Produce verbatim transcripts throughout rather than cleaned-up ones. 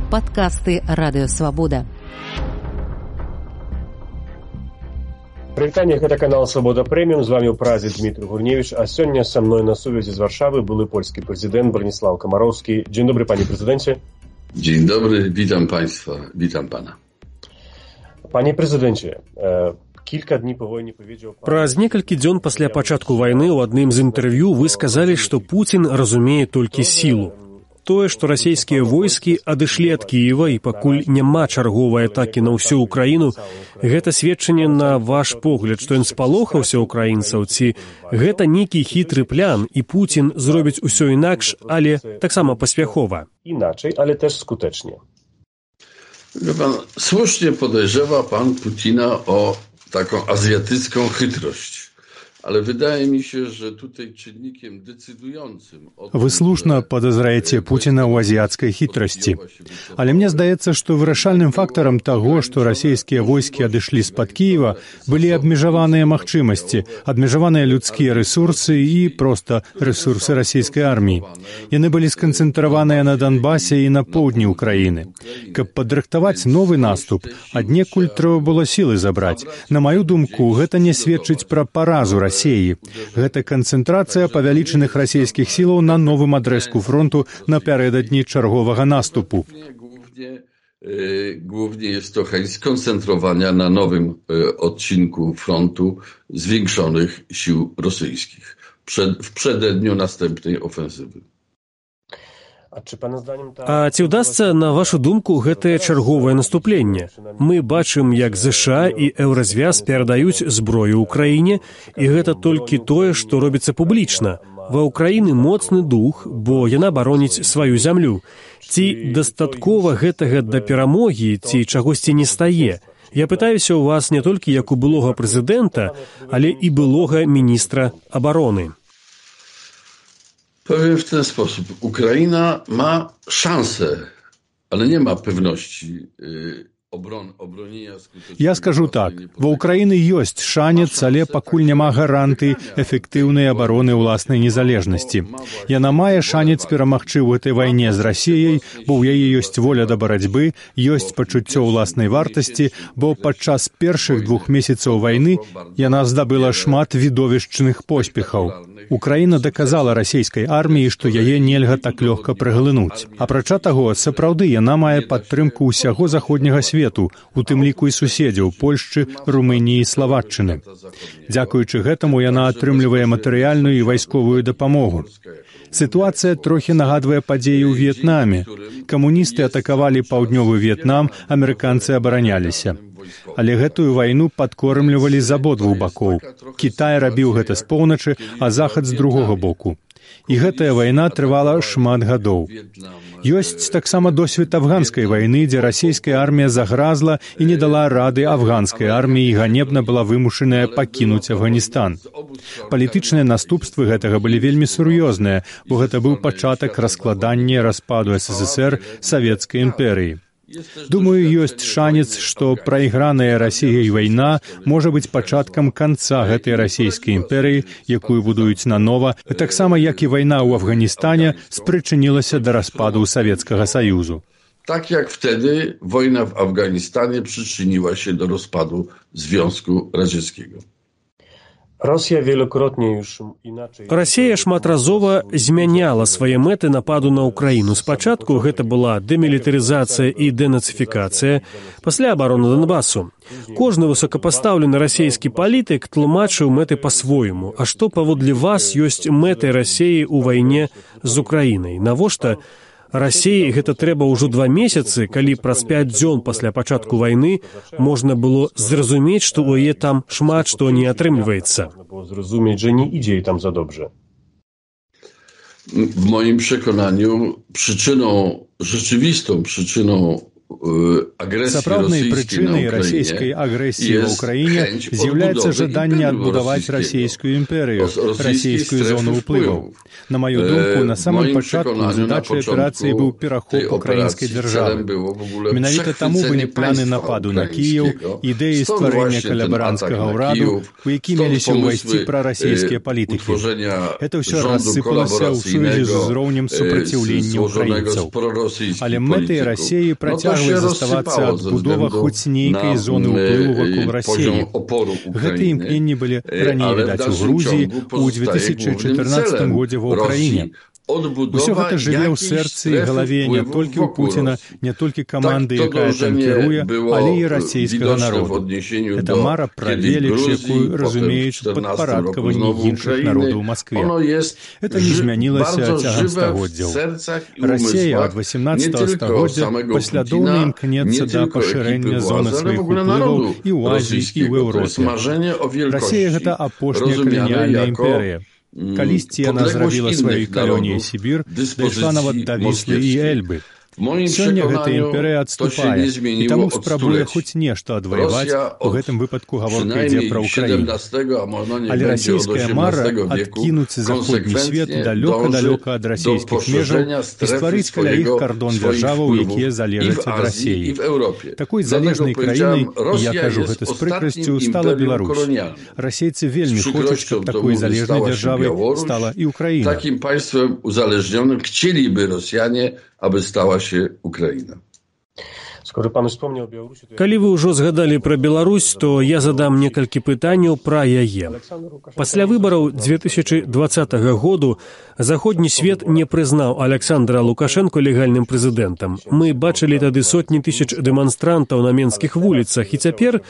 Падкасты Радыёвабода. Прывітанне, гэта канал Свабода Прэміум, з вамі ў празе Дмітрый Гурневич, а сёння са мной на сувязі з Варшавы былы польскі прэзідэнт Браніслаў Камароўскі. Dzień dobry, panie prezydencie. Dzień dobry, witam państwa, witam pana. Panie prezydencie, e, kilka dni po wojnie powiedział pan... Праз некалькі дзён пасля пачатку вайны ў адным з інтэрв'ю вы сказалі, што Пуцін разумее толькі сілу. Тое, што расійскія войскі адышлі ад Кіева і пакуль няма чарговай атакі на ўсю Украіну, гэта сведчанне на ваш погляд, што ён спалохаўся ўкраінцаў, ці гэта нейкі хітры план, і Пуцін зробіць усё інакш, ale таксама паспяхова. Inaczej, ale też skutecznie. Pan, słusznie podejrzewa pan Putina o taką azjatycką chytrość. Ale wydaje mi się, że tutaj czynnikiem decydującym... Вы слушна падазраеце Пуціна ў азіяцкай хітрасці. Але мне здаецца, што вырашальным фактарам таго, што расійскія войскі адышлі з-пад Кіева, былі абмежаваныя магчымасці, абмежаваныя людскія рэсурсы і проста рэсурсы расійскай арміі. Яны былі сканцэнтраваныя на Донбасе і на поўдні ўкраіны. Каб падрыхтаваць новы наступ, аднекуль трэба было сілы забраць. На маю думку, гэта не сведчыць пра паразу Расіі. Гэта канцэнтрацыя павялічаных расійскіх сілаў на новым адрэзку фронту напярэдадні чарговага наступу. Głównie jest to chęć skoncentrowania na nowym odcinku frontu zwiększonych sił rosyjskich przed, w przededniu następnej ofensywy. А ці ўдасца, на вашу думку, гэтае чарговае наступленне? Мы бачым, як ЗША і Еўразвяз перадаюць зброю ўкраіне, і гэта толькі тое, што робіцца публічна. Ва ўкраіны моцны дух, бо яна бароніць сваю зямлю. Ці дастаткова гэтага да перамогі, ці чагосьці не стае? Я пытаюся ў вас не толькі як у былога прэзідэнта, але і былога міністра абароны. Powiem w ten sposób. Ukraina ma szansę, ale nie ma pewności obron, obronienia skutecznego. Я скажу так. Ва Ўкраіны ёсць шанец, але пакуль няма гарантый эфектыўнай абароны ўласнай незалежнасці. Яна мае шанец перамагчы ў гэтай вайне з Расіяй, бо ў яе ёсць воля да барацьбы, ёсць пачуццё ўласнай вартасці, бо падчас першых двух месяцаў вайны яна здабыла шмат відовішчных поспехаў. Украіна даказала расійскай арміі, што яе нельга так лёгка праглынуць. Апрача таго, сапраўды яна мае падтрымку ўсяго заходняга свету, у тым ліку і суседзяў Польшчы, Румыніі і Славаччыны. Дзякуючы гэтаму яна атрымлівае матэрыяльную і вайсковую дапамогу. Сітуацыя трохі нагадвае падзеі ў В'етнаме. Камуністы атакавалі паўднёвы В'етнам, амерыканцы абараняліся. Але гэтую вайну падкормлівалі з абодвух бакоў. Кітай рабіў гэта з поўначы, а захад з другога боку. І гэтая вайна трывала шмат гадоў. Ёсць таксама досвед афганскай вайны, дзе расійская армія загразла і не дала рады афганскай арміі і ганебна была вымушаная пакінуць Афганістан. Палітычныя наступствы гэтага былі вельмі сур'ёзныя, бо гэта быў пачатак раскладання распаду СССР Савецкай імперыі. Думаю, ёсць шанец, што прайграная Расіяй вайна можа быць пачаткам канца гэтай расійскай імперыі, якую будуюць нанова, таксама як і вайна ў Афганістане спрычынілася да распаду Савецкага Саюзу. Tak jak wtedy wojna w Afganistanie przyczyniła się do rozpadu Związku Radzieckiego. Rosja wielokrotnie już inaczej... Расія шматразова змяняла свае мэты нападу на Украіну. Спачатку гэта была дэмілітарызацыя і дэнацыфікацыя, пасля абарона Донбасу. Кожны высокапастаўлены расійскі палітык тлумачыў мэты па-свойму. А што паводле вас ёсць мэтай Расіі ў вайне з Украінай? Навошта Расіі гэта трэба ўжо два месяцы, калі праз пяць дзён пасля пачатку вайны можна было зразумець, што ў яе там шмат што не атрымліваецца. Зразумець, że nie idzie jej tam za dobrze. W moim przekonaniu przyczyną, rzeczywistą przyczyną Сапраўднай прычынай расійскай агрэсіі ў ўкраіне з'яўляецца жаданне адбудаваць расійскую імперыю, расійскую зону ўплываў. На маю думку, на самом пачатку задачай аперацыі быў перахоп украінскай дзяржавы. Менавіта таму былі планы нападу на Кіеў, ідэі стварэння калабаранцкага ўраду, у які меліся ўвайсці прарасійскія палітыкі. Это ўсё рассыпалася ў сувязі з узроўнем супраціўлення ўкраінцаў. Але мэтай Расіі працягвае заставацца адбудова хоць нейкай зоны ўплыву вакол Расіі. Гэтыя імкненні былі раней відаць у Грузіі, у дзве тысячы чатырнаццатым годзе ва ўкраіне. Усё гэта жыве ў сэрцы і галаве не толькі ў Пуціна, не толькі каманды, якая там кіруе, але і расійскага народу. Это мара пра веліч, якую разумеюць падпарадкаванні іншых народаў у Маскве. Это не змянілася цягам стагоддзяў. Расія ад васямнаццатага стагоддзя паслядоўна імкнецца да пашырэння зоны сваіх уплываў і ў Азіі, і ў Еўропе. Расія — гэта апошняя каланіяльная імперыя. Калісьці яна зрабіла сваёй калоніяй Сібір, дайшла нават да Віслы і Эльбы. Сёння гэтая імперыя адступае, і таму спрабуе хоць нешта адваяваць, у гэтым выпадку гаворка ідзе пра ўкраіну. Але расійская мара адкінуць заходні свет далёка-далёка ад расійскіх межаў і стварыць каля іх кардон дзяржаваў, якія залежаць ад Расіі. Такой залежнай краінай, і я кажу гэта з прыкрасцю, стала Беларусь. Расейцы вельмі хочуць, каб такой залежнай дзяржавай стала і Украіна. Такім панствам узалежнionym chcieliby Rosjanie, aby stała się Ukraina. Калі вы ўжо згадалі пра Беларусь, то я задам некалькі пытанняў пра яе. Пасля выбараў дзве тысячы дваццатага году заходні свет не прызнаў Аляксандра Лукашэнку легальным прэзідэнтам. Мы бачылі тады сотні тысяч дэманстрантаў на менскіх вуліцах, і цяпер,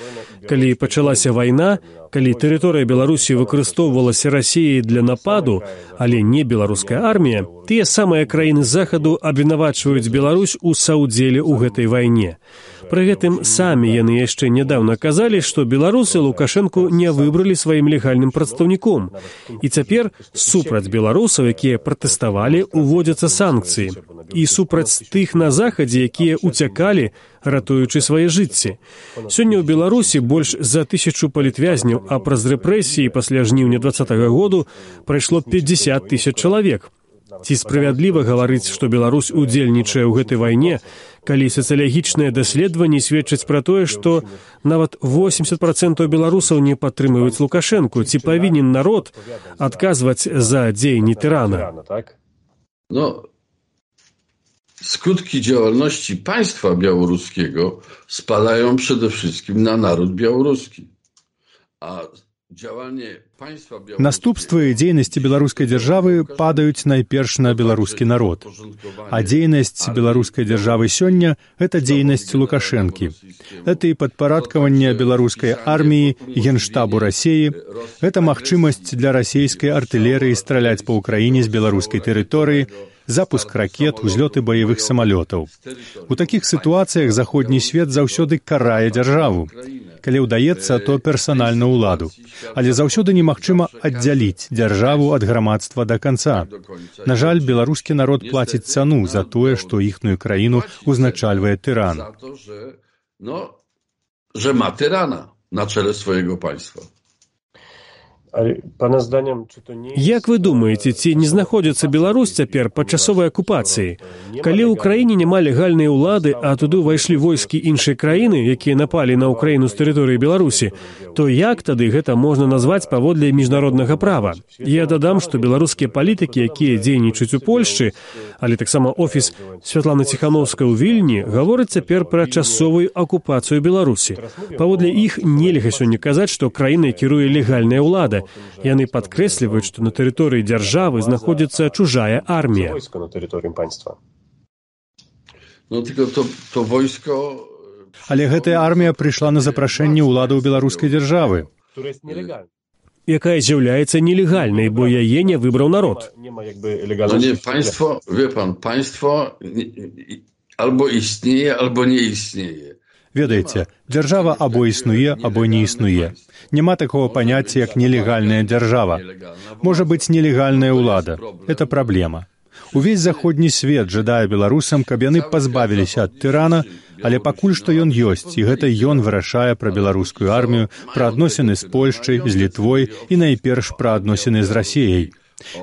калі пачалася вайна, калі тэрыторыя Беларусі выкарыстоўвалася Расіяй для нападу, але не беларуская армія, тыя самыя краіны захаду абвінавачваюць Беларусь у саўдзеле ў гэтай вайне. Пры гэтым самі яны яшчэ нядаўна казалі, што беларусы Лукашэнку не выбралі сваім легальным прадстаўніком. І цяпер супраць беларусаў, якія пратэставалі, уводзяцца санкцыі. І супраць тых на захадзе, якія уцякалі, ратуючы свае жыцці. Сёння ў Беларусі больш за тысячу палітвязняў, а праз рэпрэсіі пасля жніўня дваццатага году прайшло пятьдесят тысяч чалавек. Ці справядліва гаварыць, што Беларусь удзельнічае ў гэтай вайне, калі сацыялагічныя даследаванні сведчаць пра тое, што нават восемьдесят процентаў беларусаў не падтрымліваюць Лукашэнку? Ці павінен народ адказваць за дзеянні тырана? No, skutki działalności państwa białoruskiego spadają przede wszystkim na naród białoruski. A Наступствы дзейнасці беларускай дзяржавы падаюць найперш на беларускі народ. А дзейнасць беларускай дзяржавы сёння — гэта дзейнасць Лукашэнкі. Это і падпарадкаванне беларускай арміі, генштабу Расіі, гэта магчымасць для расійскай артылерыі страляць па ўкраіне з беларускай тэрыторыі, запуск ракет, узлёты баявых самалётаў. У такіх сітуацыях заходні свет заўсёды карае дзяржаву. Калі ўдаецца, то персанальна ўладу. Але заўсёды немагчыма аддзяліць дзяржаву ад грамадства да канца. На жаль, беларускі народ плаціць цану за тое, што іхную краіну узначальвае тыран. No, że ma tyrana na czele swojego państwa. Як вы думаеце, ці не знаходзіцца Беларусь цяпер пад часовай акупацыяй? Калі ў краіне няма легальнай улады, а туды ўвайшлі войскі іншай краіны, якія напалі на ўкраіну з тэрыторыі Беларусі, то як тады гэта можна назваць паводле міжнароднага права? Я дадам, што беларускія палітыкі, якія дзейнічаюць у Польшчы, але таксама офіс Святланы Ціханаўскай у Вільні, гавораць цяпер пра часовую акупацыю Беларусі. Паводле іх нельга сёння казаць, што краінай кіруе легальная ўлада. Яны падкрэсліваюць, што на тэрыторыі дзяржавы знаходзіцца чужая армія. Але гэтая армія прыйшла на запрашэнне ўладаў беларускай дзяржавы, якая з'яўляецца нелегальнай, бо яе не выбраў народ. Państwo, wie pan, państwo albo istnieje, albo nie istnieje. Ведаеце, дзяржава або існуе, або не існуе. Няма такого паняцця, як нелегальная дзяржава. Можа быць нелегальная ўлада. Это праблема. Увесь заходні свет жадае беларусам, каб яны пазбавіліся ад тырана, але пакуль што ён ёсць, і гэта ён вырашае пра беларускую армію, пра адносіны з Польшчай, з Літвой і найперш пра адносіны з Расіяй.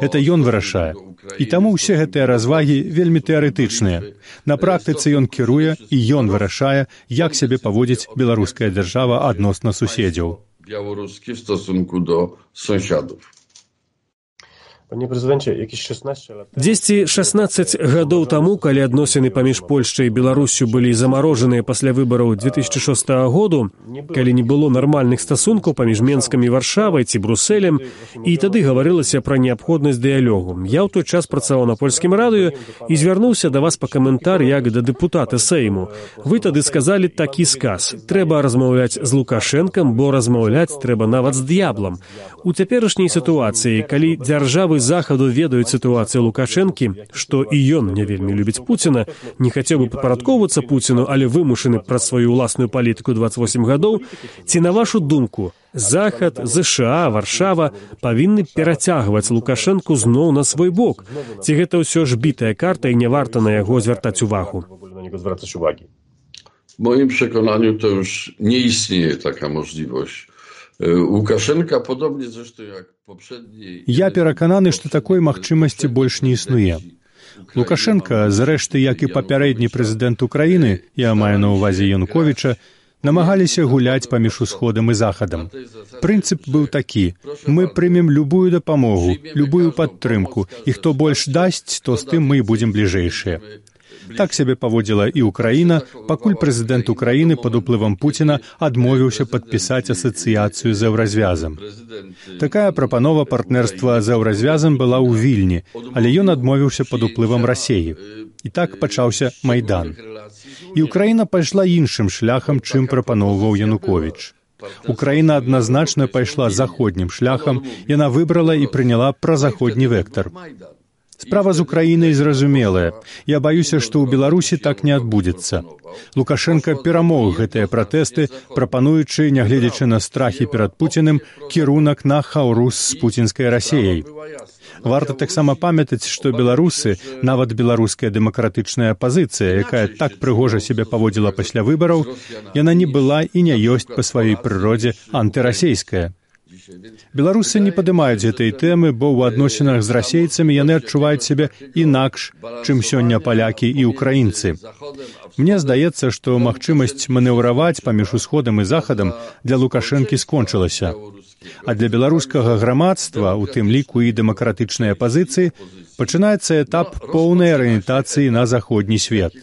Это ён вырашае. І таму ўсе гэтыя развагі вельмі тэарэтычныя. На практыцы ён кіруе і ён вырашае, як сябе паводзіць беларуская дзяржава адносна суседзяў. Białoruskie w stosunku do sąsiadów. Panie prezydencie, jakieś szesnaście lat... дзесьці шаснаццаць гадоў таму, калі адносіны паміж Польшчай і Беларуссю былі замарожаныя пасля выбараў две тысячи шостага году, калі не было нармальных стасункаў паміж Менскам і Варшавай ці Брусэлем, і тады гаварылася пра неабходнасць дыялогу. Я ў той час працаваў на польскім радыё і звярнуўся да вас па каментар як да дэпутата Сейму. Вы тады сказалі такі сказ: трэба размаўляць з Лукашэнкам, бо размаўляць трэба нават з д'яблам. У цяперашняй сітуацыі, калі дзяржавы захаду ведаюць сітуацыю Лукашэнкі, што і ён не вельмі любіць Пуціна, не хацеў бы падпарадкоўвацца Пуціну, але вымушаны праз сваю ўласную палітыку дваццаць восем гадоў, ці, на вашу думку, Захад, ЗША, Варшава павінны перацягваць Лукашэнку зноў на свой бок? Ці гэта ўсё ж бітая карта і не варта на яго звяртаць увагу? W moim przekonaniu to już nie istnieje taka możliwość. Łukaszenka, podobnie zresztą jak poprzedniej... Я перакананы, што такой магчымасці больш не існуе. Лукашенка, зрэшты, як і папярэдні прэзідэнт Украіны, я маю на ўвазе Януковіча, намагаліся гуляць паміж усходам і захадам. Прынцып быў такі: мы прымем любую дапамогу, любую падтрымку, і хто больш дасць, то з тым мы і будзем бліжэйшыя. Так сябе паводзіла і Украіна, пакуль прэзідэнт Украіны пад уплывам Пуціна адмовіўся падпісаць асацыяцыю з еўразвязам. Такая прапанова партнерства з еўразвязам была ў Вільні, але ён адмовіўся пад уплывам Расіі. І так пачаўся Майдан. І Украіна пайшла іншым шляхам, чым прапаноўваў Януковіч. Украіна адназначна пайшла заходнім шляхам, яна выбрала і прыняла празаходні вектар. Справа з Украінай зразумелая. Я баюся, што ў Беларусі так не адбудзецца. Лукашенка перамог гэтыя пратэсты, прапануючы, нягледзячы на страхі перад Пуціним, кірунак на хаўрус з пуцінскай Расіяй. Варта таксама памятаць, што беларусы, нават беларуская дэмакратычная апазіцыя, якая так прыгожа сябе паводзіла пасля выбараў, яна не была і не ёсць па сваёй прыродзе антырасейская. Беларусы не падымаюць гэтай тэмы, бо ў адносінах з расейцамі яны адчуваюць сябе інакш, чым сёння палякі і ўкраінцы. Мне здаецца, што магчымасць манеўраваць паміж усходам і захадам для Лукашэнкі скончылася. А для беларускага грамадства, у тым ліку і дэмакратычнай апазіцыі, пачынаецца этап поўнай арыентацыі на заходні свет.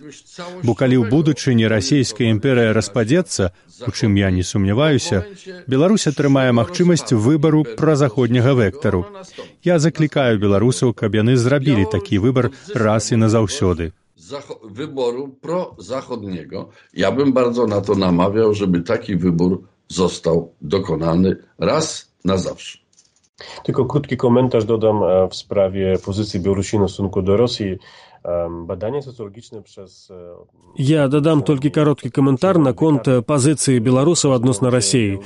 Бо калі ў будучыні расійская імперыя распадзецца, у чым я не сумняваюся, Беларусь атрымае магчымасць выбару празаходняга вектару. Я заклікаю беларусаў, каб яны зрабілі такі выбар раз і назаўсёды. Wyboru prozachodniego. Ja bym bardzo na to namawiał, żeby taki wybór został dokonany raz na zawsze. Tylko krótki komentarz dodam w sprawie pozycji Białorusini w stosunku do Rosji. Badania socjologiczne przez... Я дадам толькі кароткі каментар наконт пазіцыі беларусаў адносна Расіі.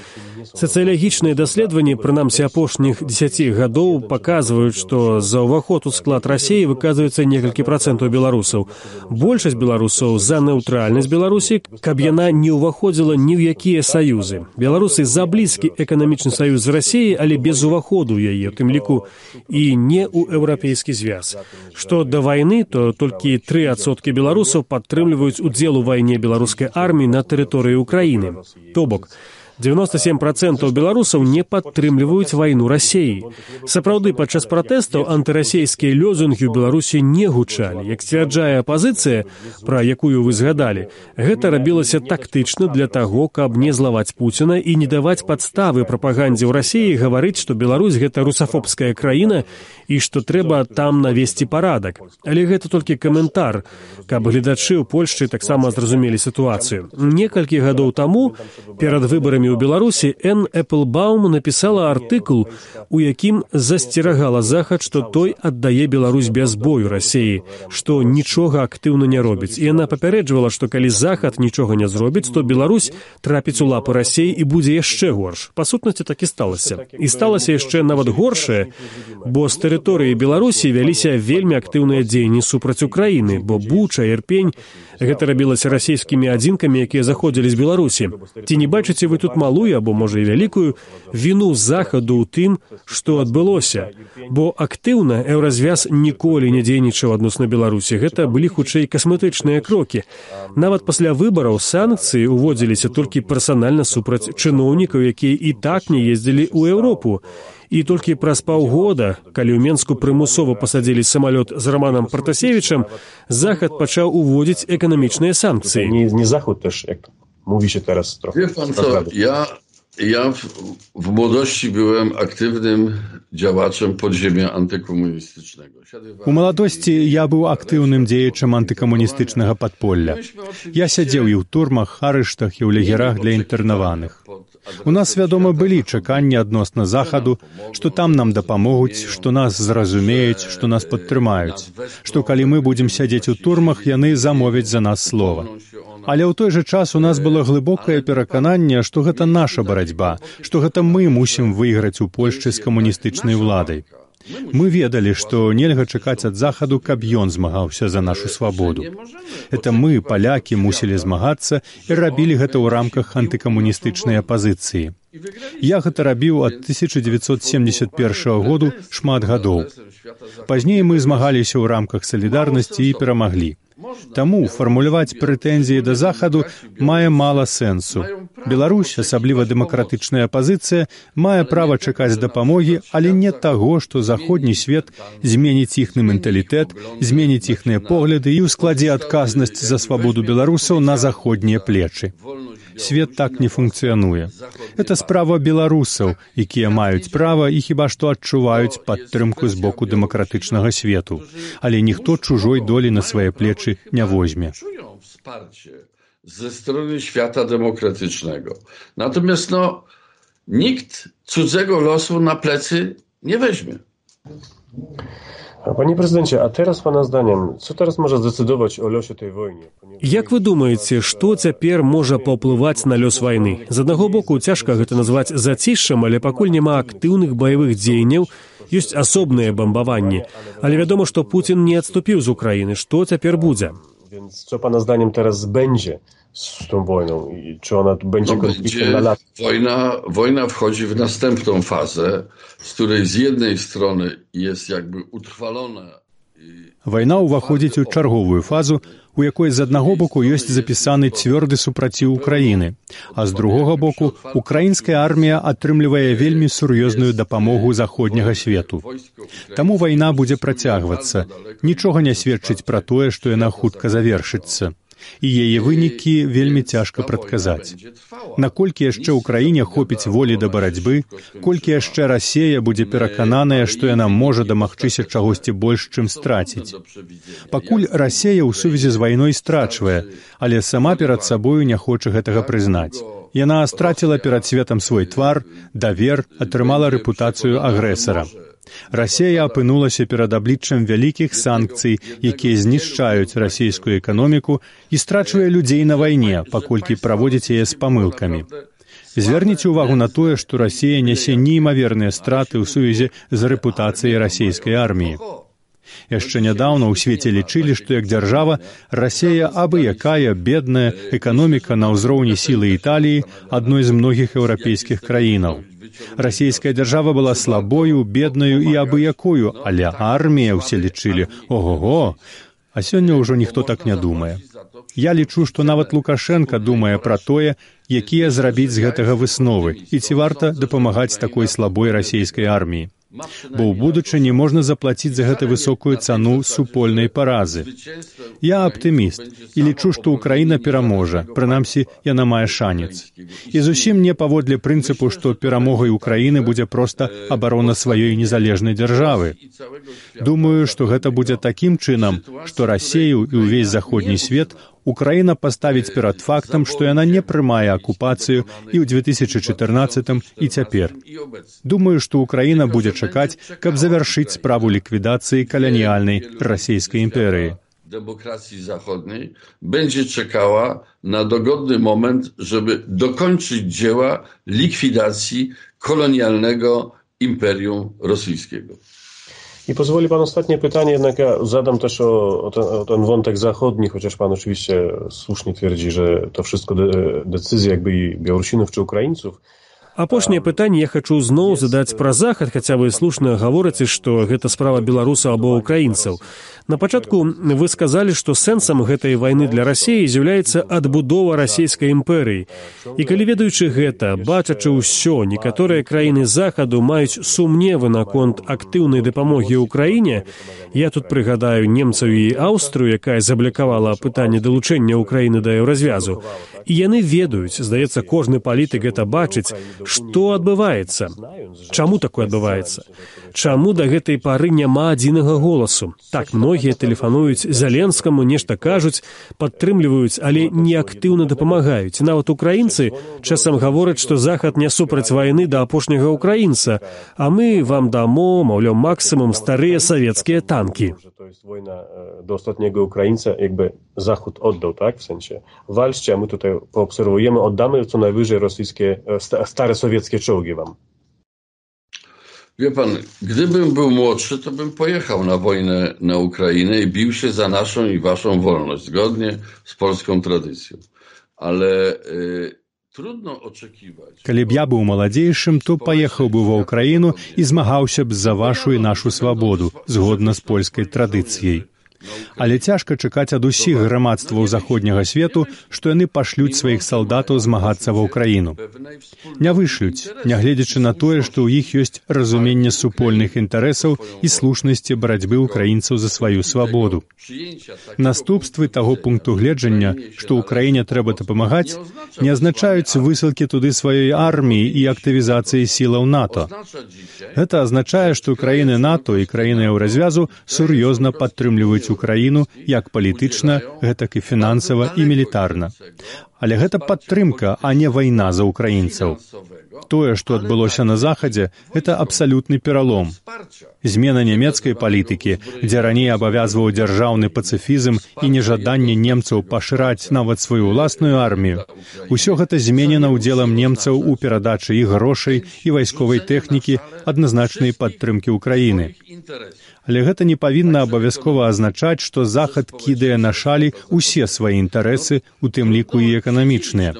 Сацыялагічныя даследаванні, прынамсі апошніх дзесяці гадоў, паказваюць, што за ўваход у склад Расіі выказваецца некалькі працэнтаў беларусаў. Большасць беларусаў за нейтральнасць Беларусі, каб яна не ўваходзіла ні ў якія саюзы. Беларусы за блізкі эканамічны саюз з Расіяй, але без уваходу ў яе, у тым ліку і не ў еўрапейскі звяз. Што да вайны, то толькі тры адсоткі беларусаў падтрымліваюць удзел у вайне беларускай арміі на тэрыторыі Украіны. То бок, дзевяносто семь процентаў беларусаў не падтрымліваюць вайну Расіі. Сапраўды, падчас пратэстаў антырасійскія лёзунгі ў Беларусі не гучалі. Як сцвярджае апазіцыя, пра якую вы згадалі, гэта рабілася тактычна для таго, каб не злаваць Пуціна і не даваць падставы прапагандзе ў Расіі гаварыць, што Беларусь — гэта русафобская краіна і што трэба там навесці парадак. Але гэта толькі каментар, каб гледачы ў Польшчы таксама зразумелі сітуацыю. Некалькі гадоў таму, перад выбарамі праблемамі ў Беларусі, Энн Эпплбаум напісала артыкул, у якім засцерагала Захад, што той аддае Беларусь без бою Расіі, што нічога актыўна не робіць. І яна папярэджвала, што калі Захад нічога не зробіць, то Беларусь трапіць у лапы Расіі і будзе яшчэ горш. Па сутнасці так і сталася. І сталася яшчэ нават горшае, бо з тэрыторыі Беларусі вяліся вельмі актыўныя дзеянні супраць Украіны, бо Буча, Ірпень, гэта рабілася расійскімі адзінкамі, якія заходзілі з Беларусі. Ці не бачыце вы тут малую, або, можа, і вялікую, віну Захаду ў тым, што адбылося? Бо актыўна еўразвяз ніколі не дзейнічаў адносна Беларусі. Гэта былі, хутчэй, касметычныя крокі. Нават пасля выбараў санкцыі уводзіліся толькі персанальна супраць чыноўнікаў, якія і так не ездзілі ў Еўропу. І толькі праз паўгода, калі ў Менску прымусова пасадзілі самалёт з Романам Пратасевічам, Захад пачаў уводзіць эканамічныя санкцыі. Nie, nie Zachód też, jak mówi się teraz trochę. Wie pan co, ja, ja w, w młodości byłem aktywnym działaczem podziemia antykomunistycznego. У маладосці я быў актыўным дзеячам антыкамуністычнага падполля. Я сядзеў і ў турмах, арыштах і ў лагерах для інтэрнаваных. У нас, вядома, былі чаканні адносна Захаду, што там нам дапамогуць, што нас зразумеюць, што нас падтрымаюць, што калі мы будзем сядзець у турмах, яны замовяць за нас слова. Але ў той жа час у нас было глыбокае перакананне, што гэта наша барацьба, што гэта мы мусім выйграць у Польшчы з камуністычнай уладай. Мы ведалі, што нельга чакаць ад Захаду, каб ён змагаўся за нашу свабоду. Это мы, палякі, мусілі змагацца і рабілі гэта ў рамках антыкамуністычнай апазіцыі. Я гэта рабіў ад тысяча дзевяцьсот семдзесят першага году шмат гадоў. Пазней мы змагаліся ў рамках салідарнасці і перамаглі. Таму фармуляваць прэтэнзіі да Захаду мае мала сэнсу. Беларусь, асабліва дэмакратычная апазіцыя, мае права чакаць дапамогі, але не таго, што заходні свет зменіць іхны менталітэт, зменіць іхныя погляды і ўскладзе адказнасць за свабоду беларусаў на заходнія плечы. Свет так не функцыянуе. Это справа беларусаў, якія маюць права і хіба што адчуваюць падтрымку з боку дэмакратычнага свету. Але ніхто чужой долі на свае плечы nie weźmie. Czują wsparcie ze strony świata demokratycznego. Natomiast no, nikt cudzego losu na plecy nie weźmie. Panie prezydencie, a teraz pana zdaniem, co teraz może zdecydować o losie tej wojny? Як вы думаеце, што цяпер можа паўплываць на лёс вайны? З аднаго боку, цяжка гэта назваць зацішшам, але пакуль няма актыўных баявых дзеянняў, ёсць асобныя бамбаванні. Але вядома, што Пуцін не адступіў з Украіны. Што цяпер будзе? Więc co pana zdaniem teraz będzie z tą wojną? I czy ona będzie No, konfliktem na lata? Wojna, wojna wchodzi w następną fazę, z której z jednej strony jest jakby utrwalona. Вайна ўваходзіць у чарговую фазу, у якой з аднаго боку ёсць запісаны цвёрды супраціў Украіны, а з другога боку украінская армія атрымлівае вельмі сур'ёзную дапамогу заходняга свету. Таму вайна будзе працягвацца. Нічога не сведчыць пра тое, што яна хутка завершыцца. І яе вынікі вельмі цяжка прадказаць. Наколькі яшчэ ўкраіне хопіць волі да барацьбы, колькі яшчэ Расія будзе перакананая, што яна можа дамагчыся чагосьці больш, чым страціць. Пакуль Расія ў сувязі з вайной страчвае, але сама перад сабою не хоча гэтага прызнаць. Яна страціла перад светам свой твар, давер, атрымала рэпутацыю агрэсара. Расія апынулася перад абліччам вялікіх санкцый, якія знішчаюць расійскую эканоміку і страчвае людзей на вайне, паколькі праводзіць яе з памылкамі. Звярніце ўвагу на тое, што Расія нясе неймаверныя страты ў сувязі з рэпутацыяй расійскай арміі. Яшчэ нядаўна ў свеце лічылі, што як дзяржава Расія абы якая бедная эканоміка на ўзроўні сілы Італіі, адной з многіх еўрапейскіх краінаў. Расійская дзяржава была слабою, беднаю і абы якою, але армія ўсе лічылі, ого-го, а сёння ўжо ніхто так не думае. Я лічу, што нават Лукашенка думае пра тое, якія зрабіць з гэтага высновы і ці варта дапамагаць такой слабой расійскай арміі. Бо ў будучыні можна заплаціць за гэта высокую цану супольнай паразы. Я аптыміст і лічу, што Украіна пераможа, прынамсі, яна мае шанец. І зусім не паводле прынцыпу, што перамогай Украіны будзе проста абарона сваёй незалежнай дзяржавы. Думаю, што гэта будзе такім чынам, што Расію і ўвесь заходні свет Украіна паставіць перад фактам, што яна не прымае акупацыю і ў две тысячы чатырнаццатым і цяпер. Думаю, што Украіна будзе чакаць, каб завяршыць справу ліквідацыі каланіяльнай расійскай імперыі. Demokracji zachodniej będzie czekała na dogodny moment, żeby dokończyć dzieła likwidacji kolonialnego imperium rosyjskiego. I pozwoli pan ostatnie pytanie, jednak ja zadam też o, o, ten, o ten wątek zachodni, chociaż pan oczywiście słusznie twierdzi, że to wszystko de, decyzje jakby i Białorusinów czy Ukraińców. Апошняе пытанне я хачу зноў задаць пра захад, хаця вы слушна гаворыце, што гэта справа беларусаў або ўкраінцаў. На пачатку вы сказалі, што сэнсам гэтай вайны для Расіі з'яўляецца адбудова расійскай імперыі. І калі ведаючы гэта, бачачы ўсё, некаторыя краіны захаду маюць сумневы наконт актыўнай дапамогі ўкраіне, я тут прыгадаю немцаў і Аўстрыю, якая заблакавала пытанне далучэння Украіны да еўразвязу. І яны ведаюць, здаецца, кожны палітык гэта бачыць, што адбываецца. Чаму такое адбываецца? Чаму да гэтай пары няма адзінага голасу? Так, многія тэлефануюць Зеленскаму, нешта кажуць, падтрымліваюць, але не актыўна дапамагаюць. Нават украінцы часам гавораць, што Захад не супраць вайны да апошняга украінца, а мы вам дамо, маўляў, максимум старыя савецкія танкі. To jest wojna do ostatniego Ukraińca, jakby Zachód oddał, tak? W sensie walczcie, a my tutaj poobserwujemy, oddamy co najwyżej rosyjskie, stare sowieckie czołgi wam. Wie pan, gdybym był młodszy, to bym pojechał na wojnę na Ukrainę i bił się za naszą i waszą wolność, zgodnie z polską tradycją. Ale y, trudno oczekiwać... Калі б я быў маладзейшым, то паехаў бы ва ўкраіну і змагаўся б за вашу і нашу свабоду, згодна з польскай традыцыяй. Але цяжка чакаць ад усіх грамадстваў заходняга свету, што яны пашлюць сваіх салдатаў змагацца ва ўкраіну. Не вышлюць, нягледзячы на тое, што ў іх ёсць разуменне супольных інтарэсаў і слушнасці барацьбы ўкраінцаў за сваю свабоду. Наступствы таго пункту гледжання, што ўкраіне трэба дапамагаць, не азначаюць высылкі туды сваёй арміі і актывізацыі сілаў НАТО. Гэта азначае, што краіны НАТО і краіны еўразвязу сур'ёзна падтрымліваюць Украіну як палітычна, гэтак і фінансава і мілітарна. Але гэта падтрымка, а не вайна за украінцаў. Тое, што адбылося на Захадзе, гэта абсалютны пералом. Змена нямецкай палітыкі, дзе раней абавязваў дзяржаўны пацыфізм і нежаданне немцаў пашыраць нават сваю ўласную армію, усё гэта зменена ўдзелам немцаў у перадачы іх грошай і вайсковай тэхнікі адназначнай падтрымкі ўкраіны. Але гэта не павінна абавязкова азначаць, што Захад кідае на шалі ўсе свае інтарэсы, у тым ліку і эканамічныя.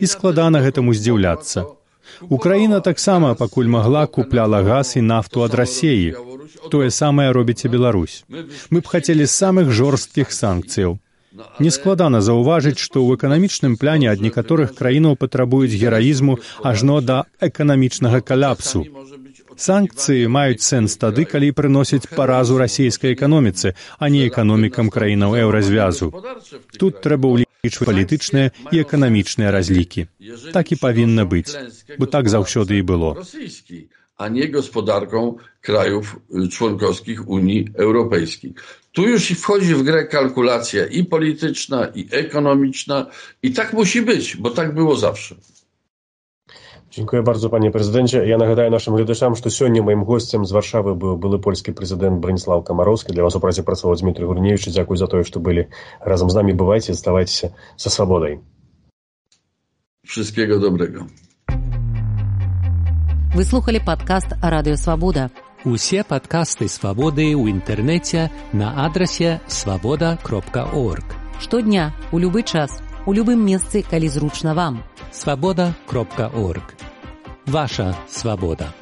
І складана гэтаму здзіўляцца. Украіна таксама, пакуль магла, купляла газ і нафту ад Расіі. Тое самае робіць і Беларусь. Мы б хацелі самых жорсткіх санкцыяў. Нескладана заўважыць, што ў эканамічным пляне ад некаторых краінаў патрабуюць гераізму ажно да эканамічнага каляпсу. Санкцыі маюць сэнс тады, калі прыносяць паразу расійскай эканоміцы, а не эканомікам краінаў еўразвязу. Тут трэба ўлічваць палітычныя і эканамічныя разлікі. Так і павінна быць, бо так заўсёды і было. A nie gospodarką krajów członkowskich Unii Europejskiej. Tu już wchodzi w grę kalkulacja i polityczna, i ekonomiczna i tak musi być, bo tak było zawsze. Dziękuję bardzo, panie prezydencie. Ja nagадаю naszym глядачам, что сегодня моим гостем з Варшавы был былы польскі прэзідэнт Браніслаў Камароўскі. Для вас у празе працаваў Дмітрый Гурневіч. Дзякуй за тое, што былі разам з намі. Бывайце, заставайцеся са свабодай. Wszystkiego dobrego. Вы слухали падкаст Радыё Свабода. Усе падкасты Свабоды ў інтэрнэце на адрасе свабода кропка орг. Штодня, у любы час, у любым месцы, калі зручна вам. свабода кропка орг. Ваша свабода.